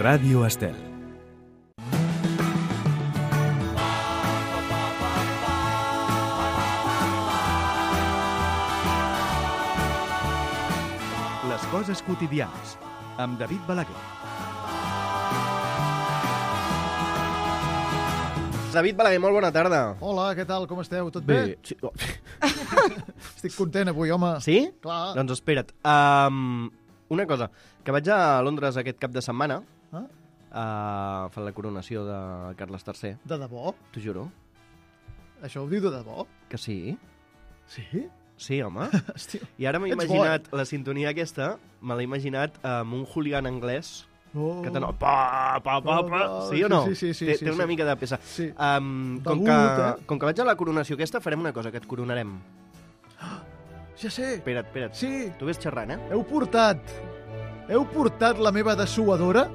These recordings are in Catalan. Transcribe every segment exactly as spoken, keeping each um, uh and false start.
Ràdio Estel. Les coses quotidianes, amb David Balaguer. David Balaguer, molt bona tarda. Hola, què tal? Com esteu? Tot bé? Bé. Sí. Oh. Estic content avui, home. Sí? Clar. Doncs espera't. Um, una cosa, que vaig a Londres aquest cap de setmana, Ah? uh, fent la coronació de Carles tercer. De debò? T'ho juro. Això ho diu de debò? Que sí. Sí? Sí, home. Hòstia. I ara m'he Ets imaginat la sintonia aquesta, me l'he imaginat amb un hooligan anglès Oh. que t'anò... Pa, pa, pa, pa. Sí o no? Sí, sí, sí, té, sí, té una sí. mica de peça. Sí. Um, com, Begut, que, eh? com que vaig a la coronació aquesta, farem una cosa, que et coronarem. Ja sé. Espera't, espera't. Sí. Tu ves xerrant, eh? Heu portat... Heu portat la meva dessuadora?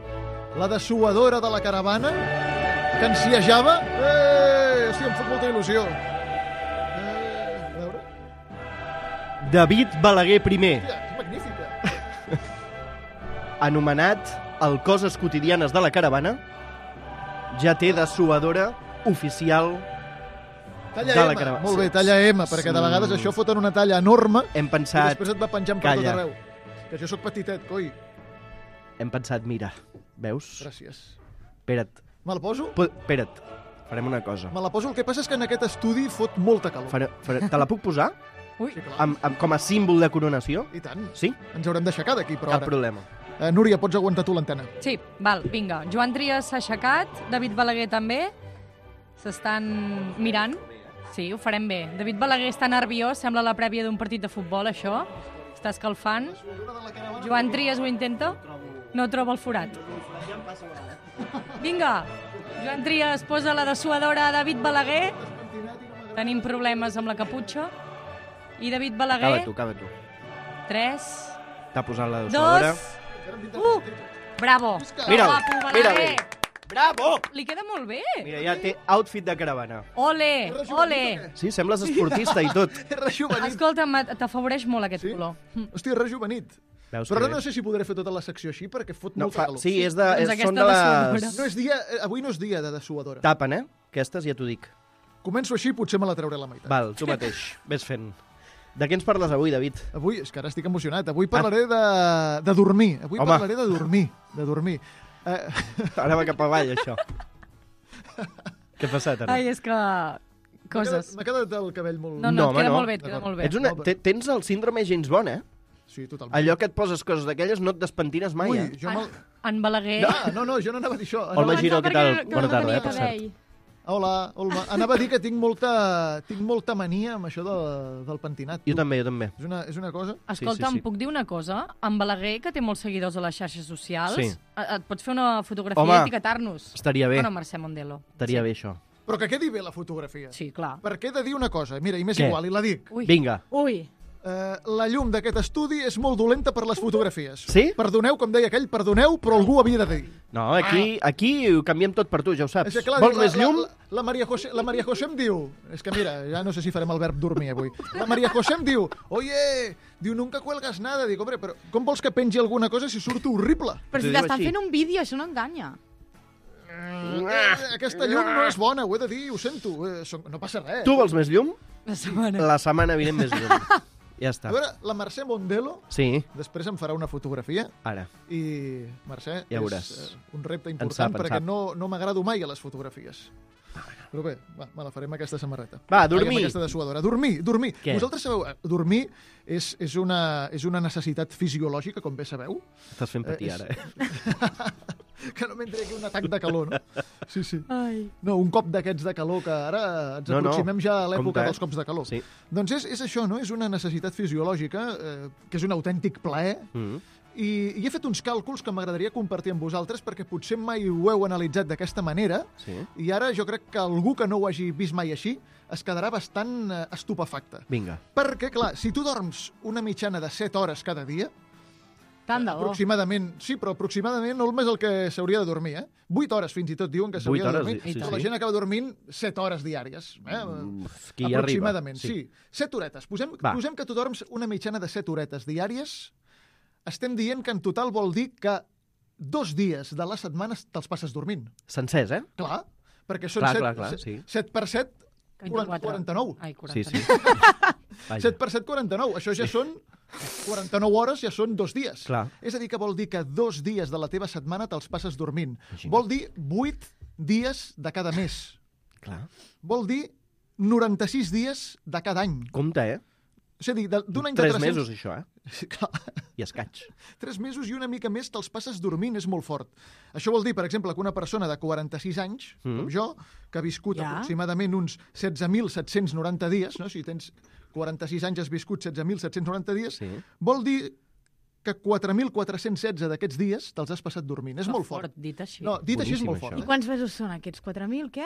La dessuadora de la caravana? Que ensiejava? Eh! Hòstia, em fa molta il·lusió. Eh, a veure... David Balaguer primer, Hòstia, que magnífica. anomenat el Coses Quotidianes de la Caravana, ja té dessuadora oficial. Talla De la M. caravana. Molt bé, talla M, perquè de Sí. vegades això foten una talla enorme Hem i pensat, després et va penjant per Calla. tot arreu. Que jo sóc petitet, coi. hem pensat, mira, veus? Gràcies. Espera't, Me la poso? po- espera't, farem una cosa. Me la poso. El que passa és que en aquest estudi fot molta calor. Fare, fare, te la puc posar Ui, Sí, clar. amb, amb, com a símbol de coronació? I tant. Sí? Ens haurem d'aixecar d'aquí, però Cap ara. problema. Eh, Núria, pots aguantar tu l'antena. sí, val, vinga. Joan Trias s'ha aixecat, David Balaguer també. S'estan mirant. Sí, ho farem bé. David Balaguer està nerviós, sembla la prèvia d'un partit de futbol, això. Està escalfant. Joan Trias ho intenta. No troba el forat. Vinga, Joan Trias posa la dessuadora a David Balaguer. Tenim problemes amb la caputxa. I David Acaba Balaguer, tu, acaba tu. tres, T'ha posat la dessuadora. dos, u. Bravo. Mira'l, Guapo, Balaguer. mira-li. Bravo! Li queda molt bé. Mira, ja té outfit de caravana. Ole, ole. Sí, sembles esportista i tot. És rejuvenit. Escolta'm, t'afavoreix molt aquest Sí? color. Hòstia, rejuvenit. Veus Però que ara bé? no sé si podré fer tota la secció així, perquè fot No, molta fa, calor. sí, és de, Doncs és, aquesta són de les... dessuadora. No és dia... eh, Avui no és dia de dessuadora. Tapen, eh? Aquestes ja t'ho dic. Començo així, potser me la trauré a la meitat. Val, tu mateix. Ves fent. De què ens parles avui, David? Avui, és que ara estic emocionat, avui parlaré de, de dormir. Avui Home. parlaré de dormir. De dormir. Eh, Ara va cap avall, això. Què ha passat, ara? Ai, és que... Coses. M'ha quedat el cabell molt... No, no, No, et home, queda no. molt bé, et queda D'acord. molt bé. Ets una, Molt bé. te- tens el síndrome James Bond, eh? Sí, totalment. Allò que et poses coses d'aquelles no et despentines mai, Ui, eh? jo me'l... En Balaguer... Ah, no, no, jo no anava a dir això. Olma Anava... Giró, què tal? Bona tarda, eh, tenia per cert. cabell. Hola, Olma. Anava a dir que tinc molta, tinc molta mania amb això de, del pentinat. Jo tu. també, jo també. És una, és una cosa... Escolta, sí, sí. em puc dir una cosa? En Balaguer, que té molts seguidors a les xarxes socials, Sí. et et pots fer una fotografia Home, i etiquetar-nos. Estaria bé, Bueno, Mercè Mondelo. estaria sí. bé això. Però que quedi bé la fotografia. Sí, clar. Perquè he de dir una cosa, mira, i m'és Què? igual, i la dic. Ui. Vinga. Ui. Eh, la llum d'aquest estudi és molt dolenta per les fotografies. Sí? Perdoneu, com deia aquell, perdoneu, però algú ho havia de dir. No, aquí, aquí ho canviem tot per tu, ja ho saps. És que, clar, Vols la, més llum? La, la, la, Maria José, la Maria José em diu... És que mira, ja no sé si farem el verb dormir avui. La Maria José em diu, oye, diu, nunca cuelgas nada. Dic, hombre, però com vols que pengi alguna cosa si surto horrible? Però T'ho si diu t'estan així. fent un vídeo, això no enganya. Eh, aquesta llum no és bona, ho he de dir, ho sento. Eh, som- no passa res. Tu vols més llum? La setmana. La setmana vinent més llum. Ja està. A veure, la Mercè Mondelo Sí, després em farà una fotografia ara. i, Mercè, Ja veuràs. és eh, un repte En important sap, en perquè sap. no, no m'agrado mai a les fotografies. Però bé, va, me la faré amb aquesta samarreta. Va, Ai, dormir. amb aquesta dessuadora. Dormir, dormir. Què? Vosaltres sabeu, eh, dormir és, és, una, és una necessitat fisiològica, com bé sabeu, Estàs fent patir Eh, és- ara, eh? que no m'entri aquí un atac de calor, no? Sí, sí. Ai. No, un cop d'aquests de calor que ara ens No, no. aproximem ja a l'època Compte, eh? dels cops de calor. Sí. Doncs és, és això, no? És una necessitat fisiològica, eh, que és un autèntic plaer, Mm. i, i he fet uns càlculs que m'agradaria compartir amb vosaltres perquè potser mai ho heu analitzat d'aquesta manera, Sí. i ara jo crec que algú que no ho hagi vist mai així es quedarà bastant eh, estupefacte. Vinga. Perquè, clar, si tu dorms una mitjana de set hores cada dia, Tant de bo. aproximadament, sí, però aproximadament no més el que s'hauria de dormir, eh? vuit hores fins i tot diuen que s'hauria Vuit de hores, dormir. sí, sí, Però la sí. gent acaba dormint set hores diàries. Eh? Uf, qui hi arriba. Aproximadament, sí. sí. Set horetes. Posem, Va. posem que tu dorms una mitjana de set horetes diàries. Estem dient que en total vol dir que dos dies de la setmana te'ls passes dormint. Sencers, eh? Clar, perquè són Clar, set, clar, clar, sí. set per set, vint-i-quatre. quaranta-nou. Ai, quaranta. Sí, sí. Vaja. set per set, quaranta-nou. Això ja són quaranta-nou hores, ja són dos dies. Clar. És a dir, que vol dir que dos dies de la teva setmana te'ls passes dormint. Imagina't. Vol dir vuit dies de cada mes. Clar. Vol dir noranta-sis dies de cada any. Compte, eh? És a dir, de- d'un any de Tres tres-cents... mesos, això, eh? Sí, clar. I escaig. Tres mesos i una mica més te'ls passes dormint, és molt fort. Això vol dir, per exemple, que una persona de quaranta-sis anys, Mm. com jo, que ha viscut Ja. aproximadament uns setze mil set-cents noranta dies, no? Si tens quaranta-sis anys, has viscut setze mil set-cents noranta dies, Sí. vol dir que quatre mil quatre-cents setze d'aquests dies te'ls has passat dormint. És Que molt fort. dit així. No, dit així és Boníssim, molt això. fort. I Eh? quants mesos són aquests? quatre mil, què?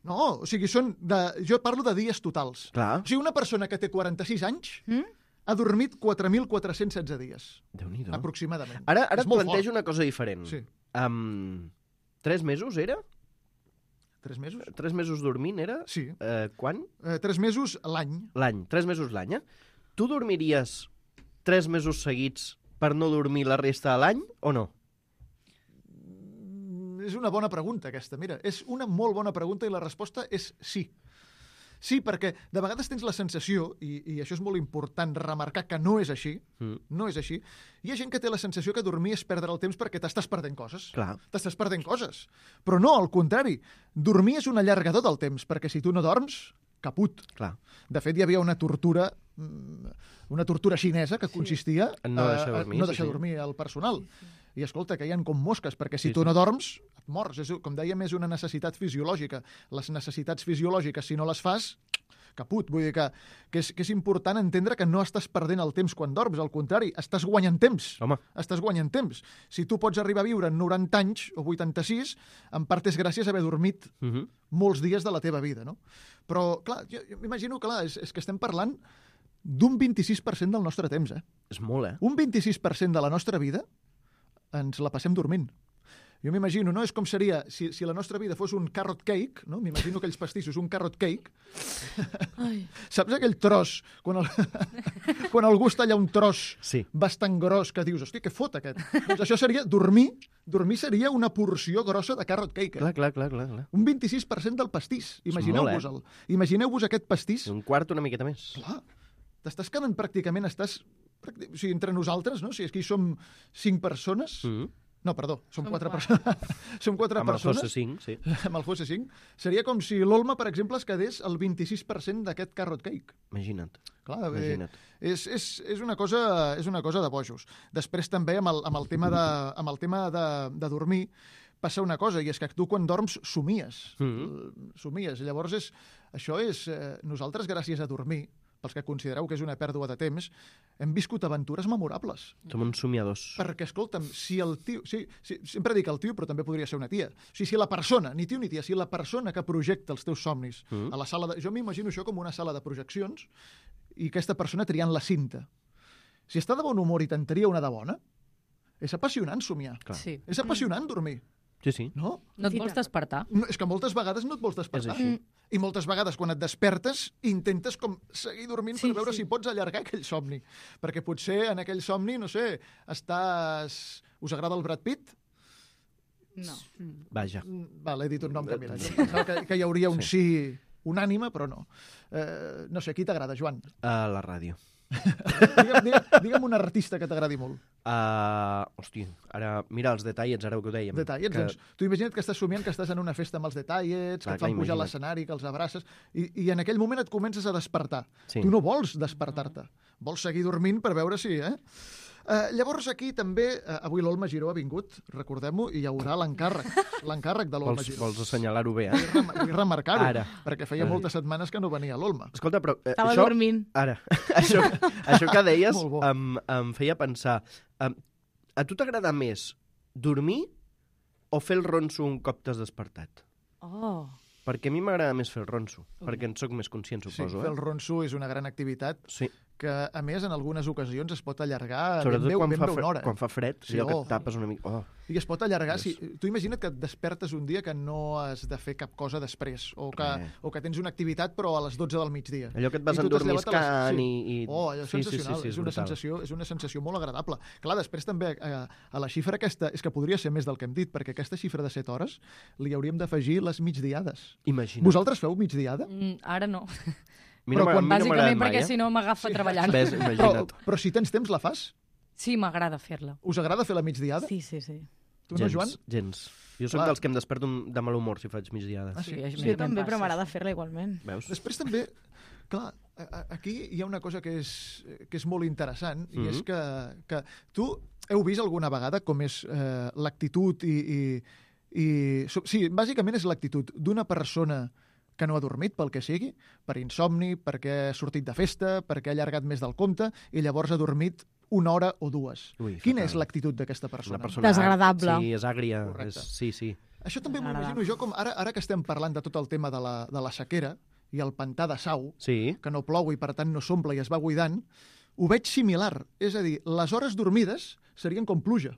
No, o sigui, són de... jo parlo de dies totals. Clar. O sigui, una persona que té quaranta-sis anys Mm? ha dormit quatre mil quatre-cents setze dies, Déu-n'hi-do. aproximadament. Ara, ara És et molt plantejo fort. una cosa diferent. Sí. Um, tres mesos era? Tres mesos? Tres mesos dormint era? Sí. Uh, quan? Eh, tres mesos l'any. L'any. Tres mesos l'any, eh? Tu dormiries tres mesos seguits per no dormir la resta de l'any o no? Mm, És una bona pregunta, aquesta. Mira, és una molt bona pregunta i la resposta és sí. Sí, perquè de vegades tens la sensació, i, i això és molt important remarcar que no és així, Mm. no és així, hi ha gent que té la sensació que dormir és perdre el temps perquè t'estàs perdent coses. Clar. T'estàs perdent coses. Però no, al contrari. Dormir és un allargador del temps, perquè si tu no dorms, caput. Clar. De fet, hi havia una tortura mm, una tortura xinesa que consistia En no a- deixar a dormir, no sí, deixar sí. dormir el personal. I escolta, que hi ha com mosques, perquè si Sí, tu sí. no dorms, et mors. És, com dèiem, és una necessitat fisiològica. Les necessitats fisiològiques, si no les fas, caput. Vull dir que, que, és, que és important entendre que no estàs perdent el temps quan dorms, al contrari, estàs guanyant temps. Home. Estàs guanyant temps. Si tu pots arribar a viure noranta anys o vuitanta-sis, en part és gràcies a haver dormit Uh -huh. molts dies de la teva vida, no? Però, clar, jo, jo m'imagino que clar, és, és que estem parlant d'un vint-i-sis per cent del nostre temps, eh? És molt, eh? Un vint-i-sis per cent de la nostra vida ens la passem dormint. Jo m'imagino, no? És com seria, si, si la nostra vida fos un carrot cake, no? M'imagino aquells pastissos, un carrot cake. Ai. Saps aquell tros, quan, el, quan algú es talla un tros Sí. bastant gros, que dius, hòstia, què fot aquest? Doncs això seria dormir, dormir seria una porció grossa de carrot cake. Eh? Clar, clar, clar, clar. clar. Un vint-i-sis per cent del pastís. Imagineu-vos-el. Imagineu-vos aquest pastís. Un quart una miqueta més. Clar, t'estàs quedant pràcticament, estàs... pràcti- O sigui, entre nosaltres, no? Si aquí som cinc persones... Mm -hmm. No, perdó, som Som quatre quatre. persones. Som quatre Amb el persones. Fossa cinc, sí. Amb el Fossa cinc. Seria com si l'Olma, per exemple, es quedés el vint-i-sis per cent d'aquest carrot cake. Imagina't. Clar, eh, Imagina't. és, és, és, una cosa, és una cosa de bojos. Després també amb el, amb el tema, de, amb el tema de, de dormir passa una cosa, i és que tu quan dorms somies. Mhm. Somies. Llavors, és, això és... Eh, nosaltres, gràcies a dormir, pels que considereu que és una pèrdua de temps, hem viscut aventures memorables. Som uns somiadors. Perquè, escolta'm, si el tio... Sí, sí, sempre dic el tio, però també podria ser una tia. O sigui, si la persona, ni tio ni tia, si la persona que projecta els teus somnis Mhm. a la sala de... Jo m'imagino això com una sala de projeccions i aquesta persona triant la cinta. Si està de bon humor i te'n tria una de bona, és apassionant somiar. Clar. Sí. És apassionant dormir, Sí, sí. no? No et Sí, vols tant. despertar? no? És que moltes vegades no et vols despertar. És així. I moltes vegades, quan et despertes, intentes com seguir dormint Sí, per veure sí. si pots allargar aquell somni. Perquè potser en aquell somni, no sé, estàs... Us agrada el Brad Pitt? No. Vaja. Mm, Val, he dit un nom que, mira, jo pensava que, que hi hauria un sí, unànime, però no. Eh, no sé, qui t'agrada, Joan? A la ràdio. Digue'm, digue'm, digue'm un artista que t'agradi molt. Uh, hòstia, ara, mira els detallets, ara que ho dèiem. Detallets, que... doncs, tu imagina't que estàs somiant que estàs en una festa amb els detallets, Clar, que et fan clar, pujar a imagina't. l'escenari, que els abraces, i, i en aquell moment et comences a despertar. Sí. Tu no vols despertar-te, vols seguir dormint per veure si... Eh? Uh, llavors aquí també, uh, avui l'Olma Giró ha vingut, recordem-ho, i hi haurà l'encàrrec, l'encàrrec de l'Olma Vols, Giró. vols assenyalar-ho bé, eh? Vull rem- Vull remarcar-ho, Ara. perquè feia moltes setmanes que no venia l'Olma. Escolta, però... Eh, Estava això... dormint. Ara, això, això que deies Molt bo. em, em feia pensar... Em, a tu t'agrada més dormir o fer el ronso un cop t'has despertat? Oh. Perquè a mi m'agrada més fer el ronso, perquè en sóc més conscient, Sí, suposo. fer el eh? ronso és una gran activitat Sí. que, a més, en algunes ocasions es pot allargar Sobretot ben bé, quan, ben fa bé fred, una hora. quan fa fred, Sí, sí, allò que oh. et tapes una mica... Oh. I es pot allargar. Yes. Si, tu imagina't que et despertes un dia que no has de fer cap cosa després, o que, Eh. o que tens una activitat però a les dotze del migdia. Allò que et vas I tu t'has llevat a les- endormiscant sí. i, i... Oh, allò és sí, sí, sensacional, sí, sí, és, una brutal. sensació, és una sensació molt agradable. Clar, després també a, a la xifra aquesta, és que podria ser més del que hem dit, perquè aquesta xifra de set hores li hauríem d'afegir les migdiades. Imagina't. Vosaltres feu migdiada? Mm, ara no. A mi no Però m'ha- quan- a mi no m'ha Bàsicament agradat mai, perquè eh? si no m'agafa treballant. Ves, Però, imagina't. però si tens temps la fas? Sí, m'agrada fer-la. Us agrada fer la migdiada? Sí, sí, sí. Tu no, Joan? Gens. Jo soc Clar. dels que em desperto de mal humor si faig migdiades. Ah, sí? a mi Jo també, em però passa. m'agrada fer-la igualment. Veus? Després també, clar, a- a- aquí hi ha una cosa que és, que és molt interessant, i Mhm. és que, que tu heu vist alguna vegada com és eh, l'actitud i... i, i so- sí, bàsicament és l'actitud d'una persona que no ha dormit, pel que sigui, per insomni, perquè ha sortit de festa, perquè ha allargat més del compte, i llavors ha dormit una hora o dues. Ui, Quina fatal. és l'actitud d'aquesta Una persona? persona... Desagradable. Sí, és àgria. Correcte. És... Sí, sí. Això també m'ho M'agrada. imagino jo, com ara, ara que estem parlant de tot el tema de la, de la sequera i el pantà de Sau, Sí. que no plou i per tant no s'omple i es va buidant, ho veig similar. És a dir, les hores dormides serien com pluja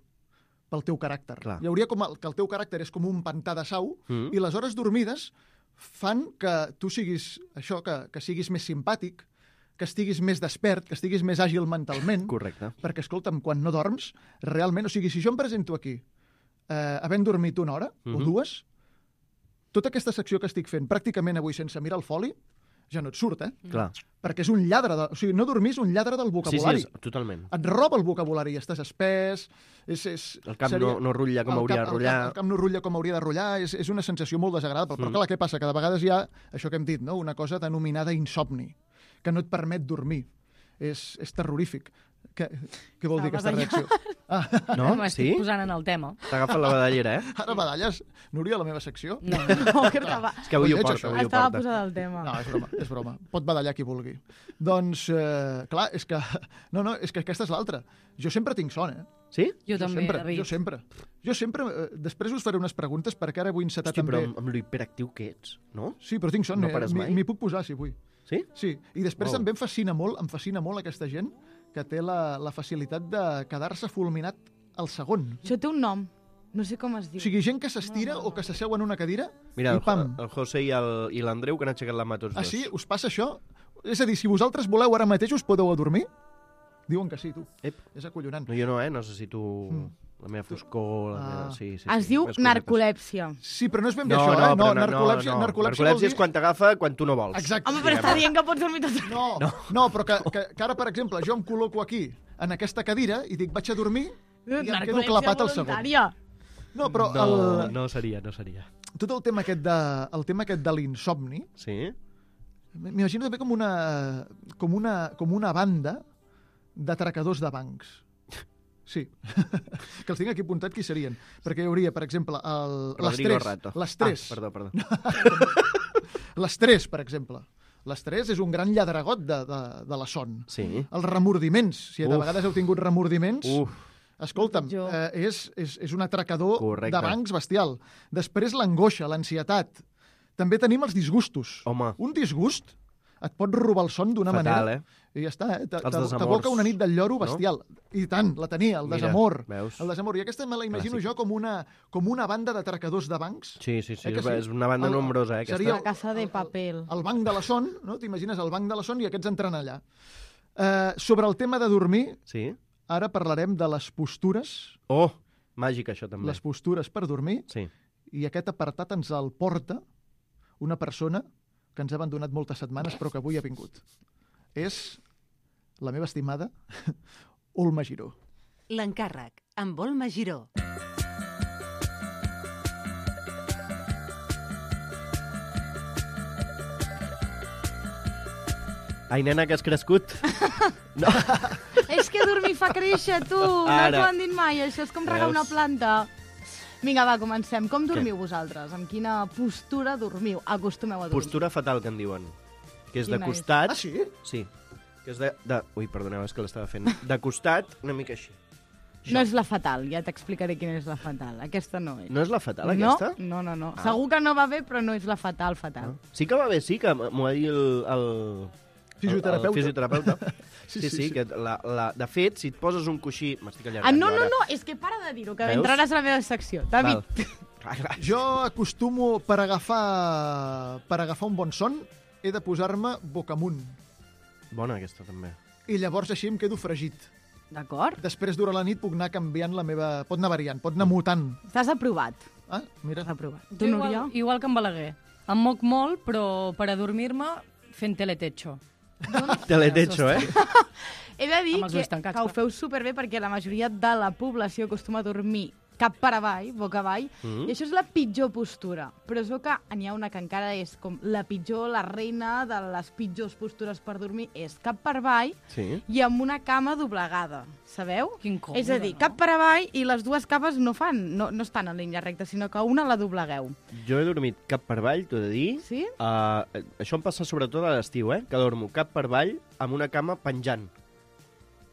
pel teu caràcter. Clar. Hi hauria com el, que el teu caràcter és com un pantà de Sau Mm. i les hores dormides fan que tu siguis això, que, que siguis més simpàtic, que estiguis més despert, que estiguis més àgil mentalment, Correcte. perquè, escolta'm, quan no dorms, realment, o sigui, si jo em presento aquí, eh, havent dormit una hora Mhm. o dues, tota aquesta secció que estic fent pràcticament avui sense mirar el foli, ja no et surt, eh? Clar. Perquè és un lladre, de, o sigui, no dormir és un lladre del Sí, sí, vocabulari. és, totalment. Et roba el vocabulari, estàs espès, és... és El cap no, no rutlla com el hauria cap, de rotllar. El cap, el cap no rutlla com hauria de rotllar, és, és una sensació molt desagradable. Però Mm. clar, què passa? Que de vegades hi ha això que hem dit, no? Una cosa denominada insomni, que no et permet dormir. És, és terrorífic. Què, què vol dir Estava aquesta reacció? Ah, No? M'estic Sí? posant en el tema. T'ha agafat la badallera, eh? ara badalles, Núria, la meva secció? No. No, que estava, És que avui ho Lleig, porta, això. avui ho estava porta. posada al tema. No, és broma, és broma. Pot badallar qui vulgui. Doncs, eh, clar, és que... No, no, és que aquesta és l'altra. Jo sempre tinc son, eh? Sí? Jo també, sempre, David. jo sempre. Jo sempre... Eh, després us faré unes preguntes perquè ara vull encetar Hosti, però també... amb, amb lo hiperactiu que ets, no? Sí, però tinc son. No eh, pares m'hi- mai? M'hi puc posar, si vull. Sí? Sí, i després Wow. també em fascina molt, em fascina molt aquesta gent que té la, la facilitat de quedar-se fulminat al segon. Això té un nom. No sé com es O diu. sigui, gent que s'estira No, no, no. o que s'asseu en una cadira Mira, i el, pam. el José i el- i l'Andreu que han aixecat la mà tots Ah, dos. sí? Us passa això? És a dir, si vosaltres voleu ara mateix us podeu adormir? Diuen que sí, tu. Ep. És acollonant. No, jo no, eh? Necessito Mm. la meva foscor, la Ah. meva... Sí, sí, Es sí, diu més cosetes. narcolèpsia. Sí, però no és ben bé No, això, no, eh? però no, narcolèpsia, no, no. narcolèpsia, Narcolèpsia vol dir... és quan t'agafa quan tu no vols. Exacte. Home, però està dient que pots dormir tot el... No, no, no però que, que, que ara, per exemple, jo em col·loco aquí, en aquesta cadira, i dic, vaig a dormir, i em quedo Narcolèpsia clapat al segon. voluntària. No, però No, el, no seria, no seria. tot el tema aquest de, el tema aquest de l'insomni, Sí? m'imagino també com una, com una, com una banda d'atracadors de bancs. Sí, que els tinc aquí apuntat qui serien. Perquè hi hauria, per exemple, el, les Rodrigo tres. Rato. Les tres. Ah, perdó, perdó. Les tres, per exemple. Les tres és un gran lladregot de, de, de la son. Sí. Els remordiments, si de Uf. vegades heu tingut remordiments, Uf, escolta'm, Jo. eh, és, és, és un atracador Correcte. de bancs bestial. Després l'angoixa, l'ansietat. També tenim els disgustos. home, Un disgust et pot robar el son d'una fatal, manera... eh? I ja està, eh? Te- Els te- desamors, T'aboca una nit del lloro no? bestial. I tant, la tenia, el Mira, desamor. veus? El desamor. I aquesta me la imagino Clàssic. jo com una, com una banda d'atracadors de bancs. Sí, sí, sí, Eh que és, sí? és una banda El- nombrosa, eh, aquesta. seria- La casa de papel. El banc de la son, no? T'imagines el banc de la son i aquests entren allà. Eh, sobre el tema de dormir, Sí? ara parlarem de les postures, Oh, màgic, això, també. les postures per dormir, Sí. i aquest apartat ens el porta una persona que ens ha abandonat moltes setmanes però que avui ha vingut. És la meva estimada Olma Giró. L'encàrrec, amb Olma Giró. Ai, nena, que has crescut. No. És que dormir fa créixer, tu. No Ara. t'ho han dit mai, això és com regar Veus? una planta. Vinga, va, comencem. Com dormiu vosaltres? Amb quina postura dormiu? Acostumeu a dormir. Postura fatal, que en diuen. Que és de Quina és? costat... Ah, sí? Sí. Que és de... de... Ui, perdoneu, és que l'estava fent. De costat, una mica així. No és la fatal, ja t'explicaré quina és la fatal. Aquesta no és. No és la fatal, no, aquesta? no, no, no. Ah. Segur que no va bé, però no és la fatal, fatal. Sí que va bé, sí, que m'ho va dir el, el, Fisioterapeuta. El, el fisioterapeuta. Sí, Sí, sí, sí, sí, sí. que la, la, de fet, si et poses un coixí... M'estic allargant. Ah, no, jo no, ara. no, és que para de dir-ho, que Veus? entraràs a la meva secció. David, Val. Clar, clar. Jo acostumo, per agafar, per agafar un bon son, he de posar-me boca amunt. Bona aquesta, també. I llavors així em quedo fregit. d'acord? Després, durant la nit, puc anar canviant la meva... Pot anar variant, pot anar mutant. Estàs aprovat. Ah, mira. Estàs aprovat. Jo Tu, igual, Núria? igual que en Balaguer. Em moc molt, però per adormir-me fent teletecho. Teletecho, eh? He de dir Amb els que, ulls tancats, que ho clar. feu superbé perquè la majoria de la població acostuma a dormir cap per avall, boca avall, Mhm. i això és la pitjor postura. Però es veu que n'hi ha una que encara és com la pitjor, la reina de les pitjors postures per dormir, és cap per avall Sí. i amb una cama doblegada, sabeu? Quin còmode, és a dir, no? cap per avall i les dues capes no fan, no, no estan en línia recta, sinó que una la doblegueu. Jo he dormit cap per avall, t'ho he de dir. Sí? Uh, això em passa sobretot a l'estiu, eh? Que dormo cap per avall amb una cama penjant.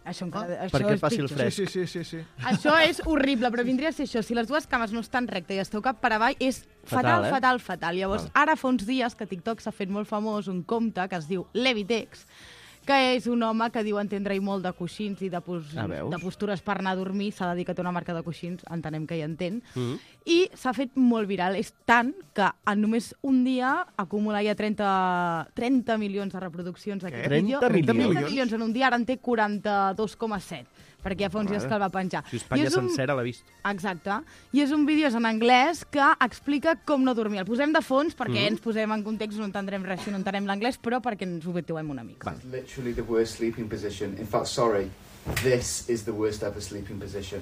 Això, encara, Ah, això perquè és passi el pitjor. fred. Sí, sí, sí, sí, sí. Això és horrible, però vindria a ser això. Si les dues cames no estan rectes i esteu cap per avall, és Fatal, fatal, eh? fatal, fatal. Llavors, Val. ara fa uns dies que TikTok s'ha fet molt famós un compte que es diu Levitex, que és un home que diu entendre-hi molt de coixins i de, pos Ah, veus? de postures per anar a dormir. S'ha de dir que té una marca de coixins, entenem que hi entén. Mm. I s'ha fet molt viral. És tant que en només un dia acumula ja trenta, trenta milions de reproduccions d'aquest vídeo. trenta milions? trenta milions en un dia, ara en té quaranta-dos coma set, perquè ja fa uns dies Mare. que el va penjar. Si I Espanya és un- sencera l'ha vist. Exacte. I és un vídeo és en anglès que explica com no dormir. El posem de fons perquè Mhm. ens posem en context, no entendrem res si no entenem l'anglès, però perquè ens ho vetuem una mica. Val. Literally the worst sleeping position. In fact, sorry, this is the worst ever sleeping position.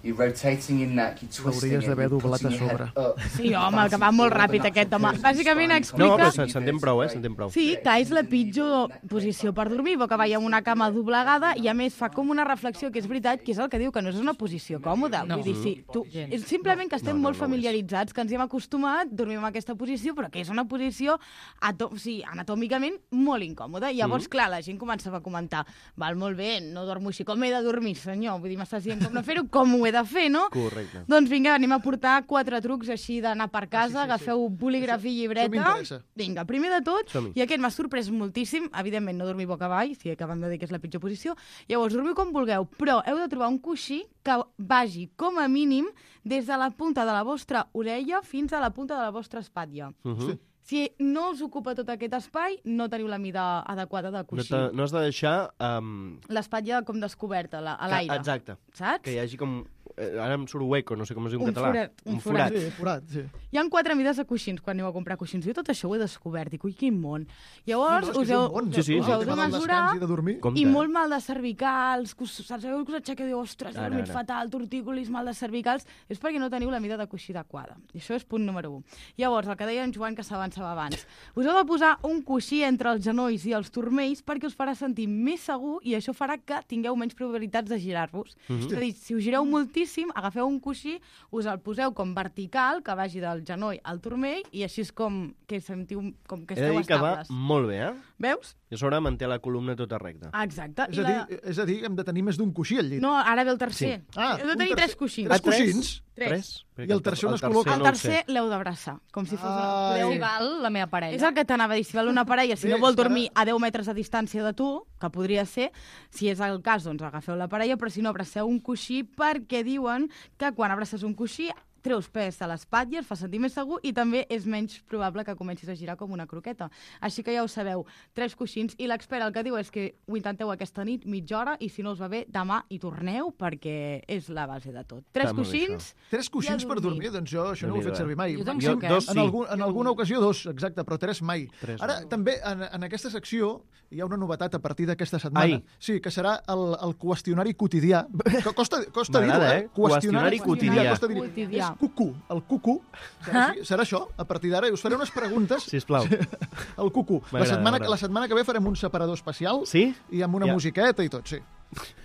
You're rotating your neck, you're twisting L'hauries it, d'haver you're doblat a putting your head sobre. up. Sí, home, que va molt ràpid aquest home. Bàsicament No, explica... però se- s'entén prou, eh? S'entén prou. Sí, que és la pitjor posició per dormir, boca avall amb una cama doblegada, i a més fa com una reflexió, que és veritat, que és el que diu, que no és una posició còmoda. No. Vull dir, sí, tu, Gens. és simplement que estem No, no, molt no ho és. familiaritzats, que ens hi hem acostumat, dormim en aquesta posició, però que és una posició ato o sigui, anatòmicament molt incòmoda. I llavors, clar, la gent començava a comentar, val, molt bé, no dormo així, com he de dormir, senyor? Vull dir, m'estàs dient com no fer-ho, com ho he de fer, no? Correcte. Doncs vinga, anem a portar quatre trucs així d'anar per casa, Ah, sí, sí, sí. agafeu bolígraf i llibreta. Això m'interessa. Vinga, primer de tot, Som-hi. i aquest m'ha sorprès moltíssim, evidentment no dormir boca avall, si acabem de dir que és la pitjor posició, llavors dormiu com vulgueu, però heu de trobar un coixí que vagi com a mínim des de la punta de la vostra orella fins a la punta de la vostra espatlla. Mhm. Si no us ocupa tot aquest espai, no teniu la mida adequada de No, coixí. t'ha- no has de deixar... Um, L'espatlla com descoberta, la- a que- l'aire. Exacte. Saps? Que hi hagi com... Eh, ara em surt hueco, no sé com es diu en Un català. forat, un un forat. forat. Sí, forat, sí. Hi ha quatre mides de coixins quan aneu a comprar coixins. Jo tot això ho he descobert, i ui, quin món. Llavors, No, no, és que us és un heu, món, Sí, sí. us el heu de tema del mesurar descans i de dormir. Compte. i molt mal de cervicals, que us, sabeu que us aixequeu i diu, ostres, he Ara, dormit ara. fatal, tortícolis, mal de cervicals, és perquè no teniu la mida de coixí adequada. I això és punt número un. Llavors, el que deia en Joan, que s'avançava abans, us heu de posar un coixí entre els genolls i els turmells perquè us farà sentir més segur i això farà que tingueu menys probabilitats de girar-vos. Mhm. És a dir, si us gireu moltíssim, agafeu un coixí, us el poseu com vertical, que vagi del genoll al turmell, i així és com que sentiu com que He de esteu dir que va estables. molt bé, eh? Veus? I a sobre manté la columna tota recta. Exacte. És I a, la... dir, és a dir, hem de tenir més d'un coixí al llit. No, ara ve el tercer. Sí. Ah, Heu de un tenir tercer- tres coixins. tres Ah, tres? coixins? Tres. Perquè I el tercer on es tercer col·loca? El no ho tercer sé. l'heu d'abraçar, com si fos... Ai. Podeu... Si val la meva parella. És el que t'anava a dir, si val una parella, si Bé, no vol és que ara- dormir a deu metres de distància de tu, que podria ser, si és el cas, doncs agafeu la parella, però si no, abraceu un coixí, perquè diuen que quan abraces un coixí treus pes a l'espatlla, et fa sentir més segur i també és menys probable que comencis a girar com una croqueta. Així que ja ho sabeu, tres coixins, i l'expert el que diu és que ho intenteu aquesta nit, mitja hora, i si no us va bé, demà hi torneu, perquè és la base de tot. Tres Està molt bé, coixins, Tres coixins I a per dormir. dormir, doncs jo això no ho he Déu-n'hi-do, fet servir mai. Jo tampoc, Jo, eh? dos En, sí. algun, en alguna ocasió dos, exacte, però tres mai. Tres Ara, no. també, en, en aquesta secció, hi ha una novetat a partir d'aquesta setmana. Ai. Sí, que serà el, el qüestionari quotidià. Que costa costa dir-ho, M'agrada, eh? eh? Qüestionari quotidià. Costa dir Quotidià. És cucú, el cucú. Serà, així, serà això, a partir d'ara. Us faré unes preguntes. Sisplau. El cucú. La M'agrada, setmana, m'agrada. la setmana que ve farem un separador especial. Sí? I amb una Ja. musiqueta i tot, sí.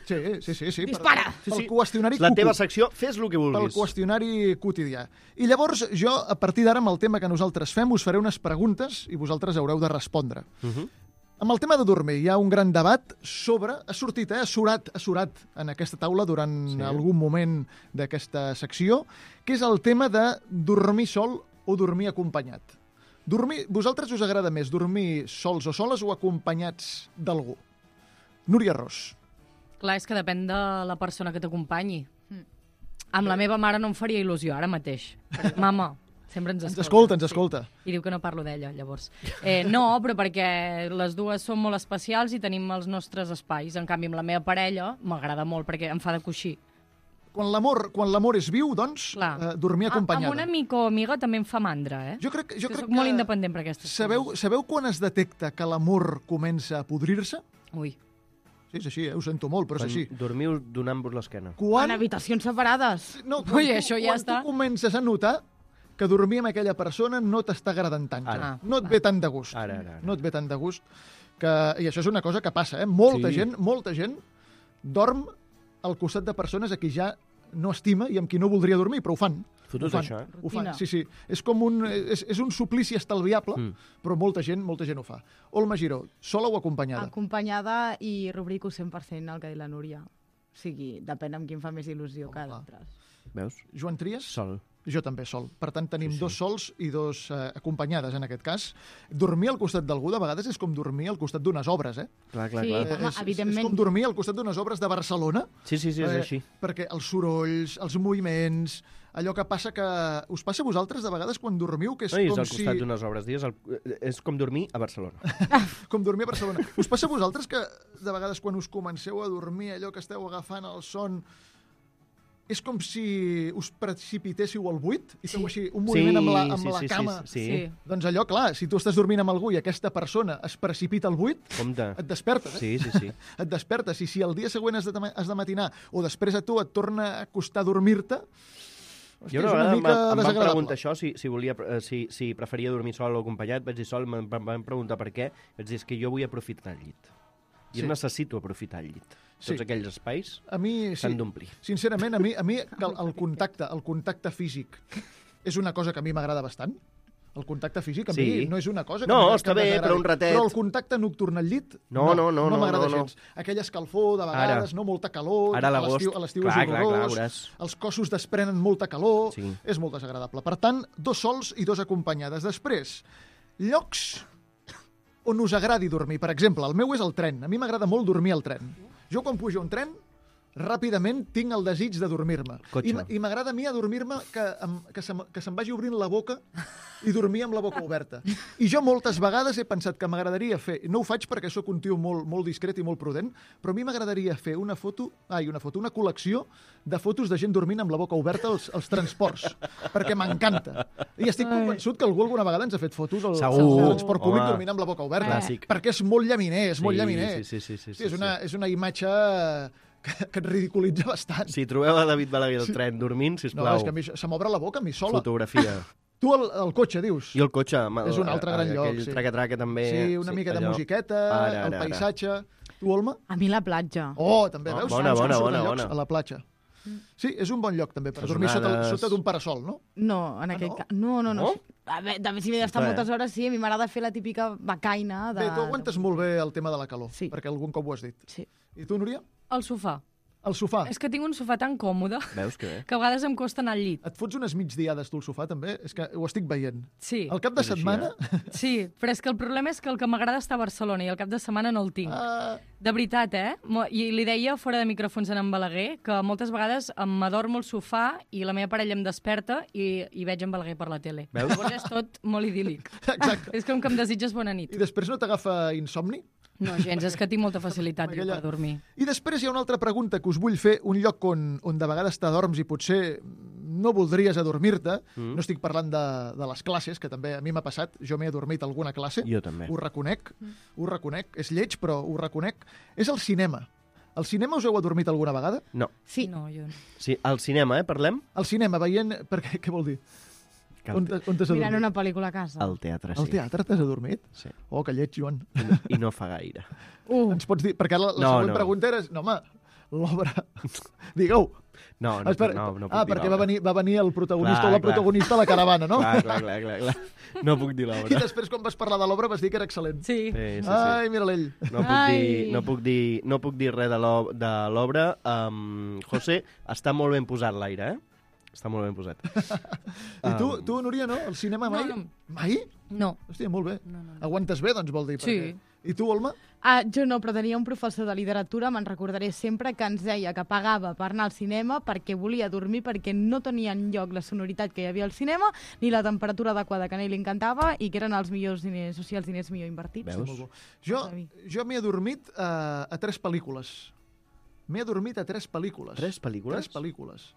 Sí, sí, sí. sí Dispara! Per, Sí, sí. pel qüestionari La cucú. teva secció, fes el que Pel vulguis. qüestionari quotidià. I llavors jo, a partir d'ara, amb el tema que nosaltres fem, us faré unes preguntes i vosaltres haureu de respondre. Uh -huh. Amb el tema de dormir hi ha un gran debat sobre... Ha sortit, eh? Ha surat, ha surat en aquesta taula durant Sí. sí. algun moment d'aquesta secció, que és el tema de dormir sol o dormir acompanyat. Dormir, vosaltres us agrada més dormir sols o soles o acompanyats d'algú? Núria Ros. Clar, és que depèn de la persona que t'acompanyi. Mm. Amb la meva mare no em faria il·lusió, ara mateix. Mama, sempre ens Ens escolta. escolta, ens escolta. Sí. I diu que no parlo d'ella, llavors. Eh, no, però perquè les dues són molt especials i tenim els nostres espais. En canvi, amb la meva parella m'agrada molt perquè em fa de coixí. Quan l'amor quan l'amor és viu, doncs, eh, dormir acompanyada. Amb un amic o amiga també em fa mandra, eh? Jo crec, jo que crec soc molt independent per aquestes sabeu, coses. sabeu quan es detecta que l'amor comença a podrir-se? Ui. Sí, és així, eh? Ho sento molt, però és així. Dormiu donant-vos l'esquena. Quan... En habitacions separades. No, quan, Ui, tu, això ja quan està. tu comences a notar que dormir amb aquella persona no t'està agradant tant. Ara. No et ve tant de gust. Ara, ara, ara. No et ve tant de gust. Que... I això és una cosa que passa, eh? Molta Sí. gent, molta gent dorm al costat de persones a qui ja no estima i amb qui no voldria dormir, però ho fan. Fotos Ho fan, això, eh? Ho fan, Rutina. sí, sí. És com un, és, és un suplici estalviable, Mm. però molta gent, molta gent ho fa. Olma Giró, sola o acompanyada? Acompanyada i rubrico cent per cent el que ha dit la Núria. O sigui, depèn amb qui em fa més il·lusió Home, que clar. d'altres. Veus? Joan Trias? Sol. Jo també sol. Per tant, tenim Sí, sí. dos sols i dos eh, acompanyades, en aquest cas. Dormir al costat d'algú, de vegades, és com dormir al costat d'unes obres, eh? Clar, clar, Sí. clar. Eh, Home, és, evidentment. És com dormir al costat d'unes obres de Barcelona. Sí, sí, sí, és eh, així. Perquè els sorolls, els moviments, allò que passa que... Us passa a vosaltres, de vegades, quan dormiu, que és No, i és com al si... costat d'unes obres. Dies, el... és com dormir a Barcelona. Com dormir a Barcelona. Us passa a vosaltres que, de vegades, quan us comenceu a dormir, allò que esteu agafant el son, és com si us precipitéssiu al buit i feu així un moviment amb la, amb sí, la sí, cama. Sí, sí, Sí. sí. Doncs allò, clar, si tu estàs dormint amb algú i aquesta persona es precipita al buit, Compte. et despertes, eh? Sí, sí, sí. Et despertes. I si el dia següent has de, has de matinar o després a tu et torna a costar dormir-te, hòstia, Jo una és una vegada em, mica va- em van desagradable. preguntar això, si, si, volia, eh, si, si preferia dormir sol o acompanyat. Vaig dir sol, em van van preguntar per què. Vaig dir, és que jo vull aprofitar el llit. Jo Sí. necessito aprofitar el llit. Sí. Tots aquells espais A mi, sí, s'han d'omplir. sincerament, a mi, a mi el, el contacte, el contacte físic és una cosa que a mi m'agrada bastant. El contacte físic a Sí. mi no és una cosa que No, m'agrada- està que bé, m'agradi. però un ratet. Però el contacte nocturn al llit, No, no, no, no no, m'agrada no, no. gens. Aquell escalfor, de vegades, Ara. no? Molta calor, Ara a a l'agost, l'estiu a l'estiu clar, és clar, clar, horrorós, veuràs. els cossos desprenen molta calor, Sí. és molt desagradable. Per tant, dos sols i dos acompanyades. Després, llocs on us agradi dormir. Per exemple, el meu és el tren. A mi m'agrada molt dormir al tren. Jo quan pujo a un tren, ràpidament tinc el desig de dormir-me. Cotxe. I, m- I m'agrada a mi adormir-me que, em, que, se'm, que se'm vagi obrint la boca i dormir amb la boca oberta. I jo moltes vegades he pensat que m'agradaria fer, no ho faig perquè sóc un tio molt, molt discret i molt prudent, però a mi m'agradaria fer una foto, ai, una foto, una col·lecció de fotos de gent dormint amb la boca oberta als, als transports, perquè m'encanta. I estic convençut que algú alguna vegada ens ha fet fotos al, Segur. al transport públic Home. dormint amb la boca oberta. Clàssic. Perquè és molt llaminer, és molt Sí, llaminer. sí, sí, sí, sí, sí, és, sí, una, sí. és una imatge que, que et ridiculitza bastant. Si trobeu a David Balaguer al tren dormint, No, sisplau, és que a mi això- se m'obre la boca a mi sola. fotografia. Tu al, al cotxe, dius? I el cotxe, amb el, És un altre gran lloc, aquell sí. traca-traca també. Sí, una mica de allò. musiqueta, Ara, el ara, paisatge... Tu, Olma? A mi la platja. Oh, també, Oh, veus? bona, Ens bona, surten bona, llocs bona. A la platja. Sí, és un bon lloc també per Les dormir sota, onades. sota d'un parasol, no? No, en Ah, aquest no? cas. No, no, no. No? A veure, també si m'he d'estar Clar. moltes hores, sí, a mi m'agrada fer la típica becaina. De... Bé, tu aguantes molt bé el tema de la calor, Sí. perquè algun cop ho has dit. Sí. I tu, Núria? Al sofà. Al sofà. És que tinc un sofà tan còmode Veus que bé? que a vegades em costa anar al llit. Et fots unes migdiades tu al sofà, també? És que ho estic veient. Sí, Al cap de És així, setmana... sí, però és que el problema és que el que m'agrada està a Barcelona i el cap de setmana no el tinc. Ah, De veritat, eh? Mo- I li deia fora de micròfons a en Balaguer que moltes vegades em m'adormo al sofà i la meva parella em desperta i, i veig en Balaguer per la tele. Veus? Llavors és tot molt idíl·lic. exacte. És com que em desitges bona nit. I després no t'agafa insomni? No, gens, és que tinc molta facilitat jo, Aquella- per dormir. I després hi ha una altra pregunta que us vull fer, un lloc on, on de vegades t'adorms i potser no voldries adormir-te. Mm. No estic parlant de, de les classes, que també a mi m'ha passat, jo m'he adormit a alguna classe. Jo també. Ho reconec, ho reconec, és lleig, però ho reconec. És el cinema. Al cinema us heu adormit alguna vegada? No. Sí. No, jo no. Sí, al cinema, eh, parlem? Al cinema, veient... Per què, què vol dir? Que On, al, t- on t'has Mirant adormit? una pel·lícula a casa. al teatre, sí. Al teatre t'has adormit? Sí. Oh, que lleig, Joan. I no, I no fa gaire. Uh, Ens pots dir... Perquè la, la No, següent no. pregunta era... No, home, l'obra... Digueu. No, no, Espera, no, no puc ah, dir perquè va l'obra. venir, va venir el protagonista Clar, o la clar. protagonista a la caravana, no? Clar, clar, clar, clar, clar. No puc dir I l'obra. després, quan vas parlar de l'obra, vas dir que era excel·lent. Sí. Sí, sí, sí. Ai, mira l'ell. No puc, Ai. dir, no, puc dir, no puc dir res de l'ob- de l'obra. Um, José, està molt ben posat l'aire, eh? Està molt ben posat. I tu, Um, tu, Núria, no? El cinema mai? No, no. Mai? No. Hòstia, molt bé. No, no, no. Aguantes bé, doncs, vol dir. Sí. Perquè... I tu, Olma? Ah, jo no, però tenia un professor de literatura, me'n recordaré sempre, que ens deia que pagava per anar al cinema perquè volia dormir, perquè no tenia enlloc la sonoritat que hi havia al cinema, ni la temperatura adequada que a ell li encantava, i que eren els millors diners, o sigui, els diners millor invertits. Veus? Molt bo. Jo, jo m'he adormit a, a tres pel·lícules. M'he adormit a tres pel·lícules. Tres pel·lícules? Tres pel·lícules.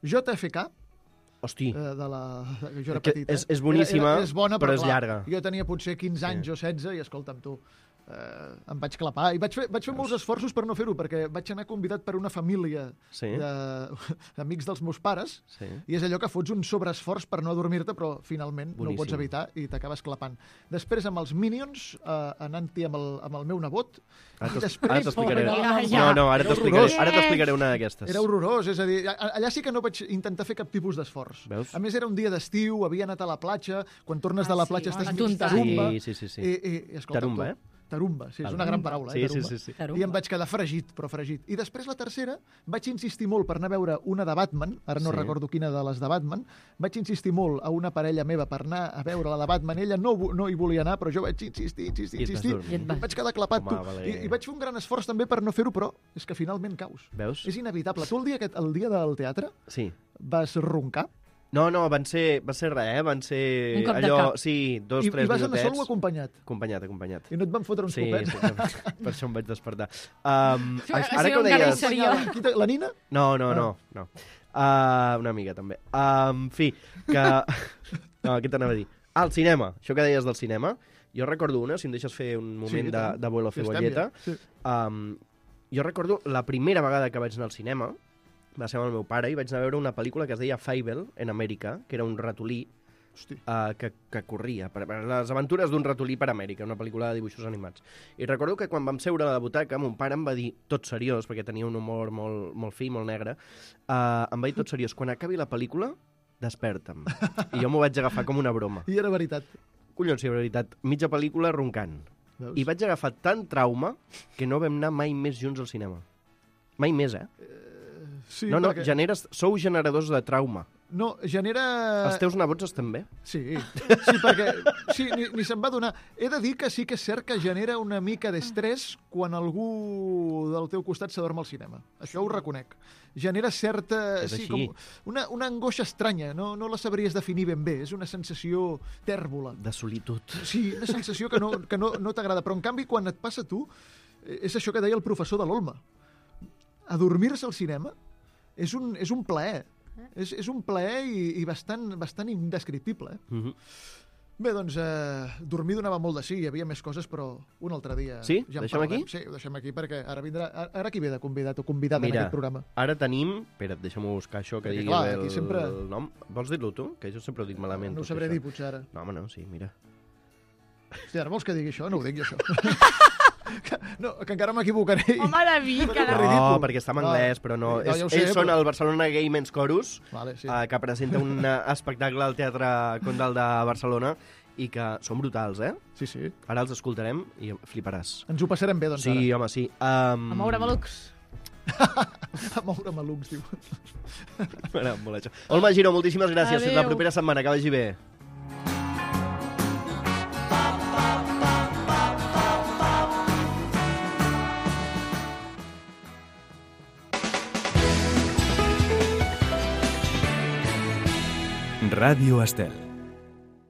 J F K, Hosti, eh, de la... de- Jo era Que petit, eh? és- és boníssima, era, era, és bona, però però, és clar, llarga. Jo tenia potser quinze anys o setze i, escolta'm, tu, eh, em vaig clapar. I vaig fer, vaig fer molts esforços per no fer-ho, perquè vaig anar convidat per una família Sí. de- d'amics dels meus pares, sí. i és allò que fots un sobreesforç per no adormir-te, però finalment no ho Boníssim. pots evitar i t'acabes clapant. Després amb els Minions, eh, anant-hi amb, el, amb el meu nebot, Ara i t'es- després... ara t'explicaré. Ja, ja. No, no, ara Era t'explicaré horrorós. ara t'explicaré una d'aquestes. Era horrorós, és a dir, a- allà sí que no vaig intentar fer cap tipus d'esforç. Veus? A més, era un dia d'estiu, havia anat a la platja, quan tornes Ah, de la sí, platja a estàs la mig tunta. tarumba. Sí, sí, sí, sí. I, i, i, escolta, Tarumba, tu, eh? Tarumba, sí, és Tarumba. una gran paraula, eh? Sí, sí, Tarumba. sí, sí. Tarumba. I em vaig quedar fregit, però fregit. I després la tercera, vaig insistir molt per anar a veure una de Batman, ara no Sí. recordo quina de les de Batman, vaig insistir molt a una parella meva per anar a veure la de Batman, ella no, vo- no hi volia anar, però jo vaig insistir, insistir, I et vas insistir, dormir. I et i vas- em vaig quedar clapat, Home, tu. Valer. I, I vaig fer un gran esforç també per no fer-ho, però és que finalment caus. Veus? És inevitable. Tu el dia, aquest, el dia del teatre Sí. vas roncar? No, no, van ser, va ser res, eh? Van ser Un cop de allò... cap. Sí, dos, I, tres I vas anar sol o minutets. acompanyat? Acompanyat, acompanyat. I no et van fotre uns Sí, copets? sí, per això em vaig despertar. Um, Sí, ara que ho encara hi deies... seria. Qui te- La Nina? No, no, no. no. Uh, una amiga, també. Uh, en fi, que... No, què t'anava a dir? Ah, el cinema. Això que deies del cinema. Jo recordo una, si em deixes fer un moment Sí, i de, tant. de vuelo Ja estem, cebolleta. ja. Sí. Um, jo recordo la primera vegada que vaig anar al cinema, va ser amb el meu pare, i vaig anar a veure una pel·lícula que es deia Fable, en Amèrica, que era un ratolí Hosti. uh, que, que corria, per, per les aventures d'un ratolí per Amèrica, una pel·lícula de dibuixos animats. I recordo que quan vam seure a la butaca, mon pare em va dir, tot seriós, perquè tenia un humor molt, molt fi, molt negre, uh, em va dir tot seriós, quan acabi la pel·lícula, desperta'm. I jo m'ho vaig agafar com una broma. I era veritat. Collons, sí, veritat, mitja pel·lícula roncant. Veus? I vaig agafar tant trauma que no vam anar mai més junts al cinema. Mai més, eh? Sí, no, no, perquè... generes, sou generadors de trauma. No, genera... Els teus nebots estan bé? Sí, sí, perquè sí, ni, ni se'n va donar. He de dir que sí que és cert que genera una mica d'estrès quan algú del teu costat s'adorm al cinema. Això ho reconec. Genera certa... És sí, així. com una, una angoixa estranya, no, no la sabries definir ben bé. És una sensació tèrbola. De solitud. Sí, una sensació que no, que no, no t'agrada. Però, en canvi, quan et passa a tu, eh, és això que deia el professor de l'Olma. Adormir-se al cinema és un, és un plaer. És, és un plaer i, i bastant, bastant indescriptible. Eh? Mm -hmm. Bé, doncs, eh, dormir donava molt de sí, hi havia més coses, però un altre dia... Sí? Ja en Deixem parlarem. aquí? Sí, ho deixem aquí, perquè ara vindrà... Ara, ara qui ve de convidat o convidat en Mira, aquest programa? ara tenim... Espera't, deixa'm buscar això, que Perquè, digui clar, bé el, aquí sempre- el nom. Vols dir-lo tu? Que jo sempre ho dic malament. No ho tot sabré això. dir, potser ara. No, home, no, sí, mira. Hòstia, ara vols que digui això? No ho dic jo, això. que, no, que encara m'equivocaré. Home, David, que... No, No, ridícul. perquè està en No. anglès, però no. No, és, ja ho sé, ells són però- el Barcelona Gay Men's Chorus, Vale, sí. eh, que presenta un eh, espectacle al Teatre Condal de Barcelona i que són brutals, eh? Sí, sí. Ara els escoltarem i fliparàs. Ens ho passarem bé, doncs, Sí, home, sí. Um... A moure malucs. ara. A moure malucs, diu. M'agrada molt això. Olma Giró, moltíssimes gràcies. Fins la Adéu. propera setmana. Que vagi bé. Ràdio Estel.